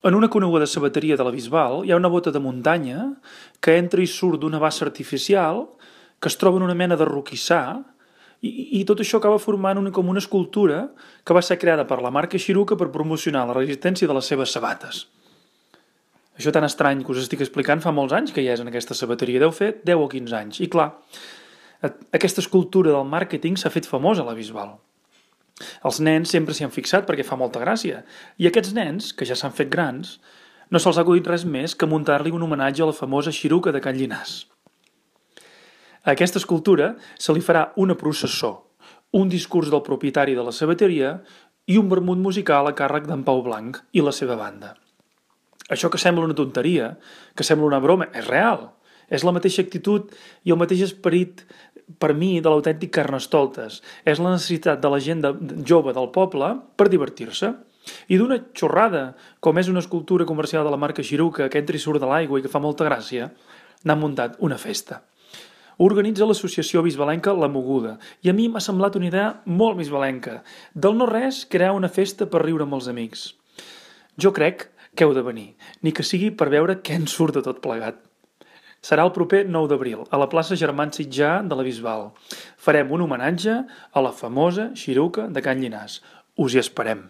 En una coneguda sabateria de la Bisbal hi ha una bota de muntanya que entra i surt d'una bassa artificial que es troba en una mena de roquissar i tot això acaba formant com una escultura que va ser creada per la marca Xiruca per promocionar la resistència de les seves sabates. Això tan estrany que us estic explicant fa molts anys que hi és en aquesta sabateria, deu fer 10 o 15 anys. I clar, aquesta escultura del màrqueting s'ha fet famosa a la Bisbal. Els nens sempre s'hi han fixat perquè fa molta gràcia, i aquests nens, que ja s'han fet grans, no se'ls ha acudit res més que muntar-li un homenatge a la famosa Xiruca de Can Llinàs. A aquesta escultura se li farà una processó, un discurs del propietari de la sabateria i un vermut musical a càrrec d'en Pau Blanc i la seva banda. Això que sembla una tonteria, que sembla una broma, és real. És la mateixa actitud i el mateix esperit, per mi, de l'autèntic Carnestoltes. És la necessitat de la gent jove del poble per divertir-se. I d'una xorrada, com és una escultura comercial de la marca Xiruca que entra i surt de l'aigua i que fa molta gràcia, n'han muntat una festa. Ho organitza l'associació bisbalenca La Moguda i a mi m'ha semblat una idea molt bisbalenca. Del no res, crear una festa per riure amb els amics. Jo crec que heu de venir, ni que sigui per veure què en surt de tot plegat. Serà el proper 9 d'abril, a la plaça Germán Sitjar de la Bisbal. Farem un homenatge a la famosa Xiruca de Can Llinàs. Us hi esperem.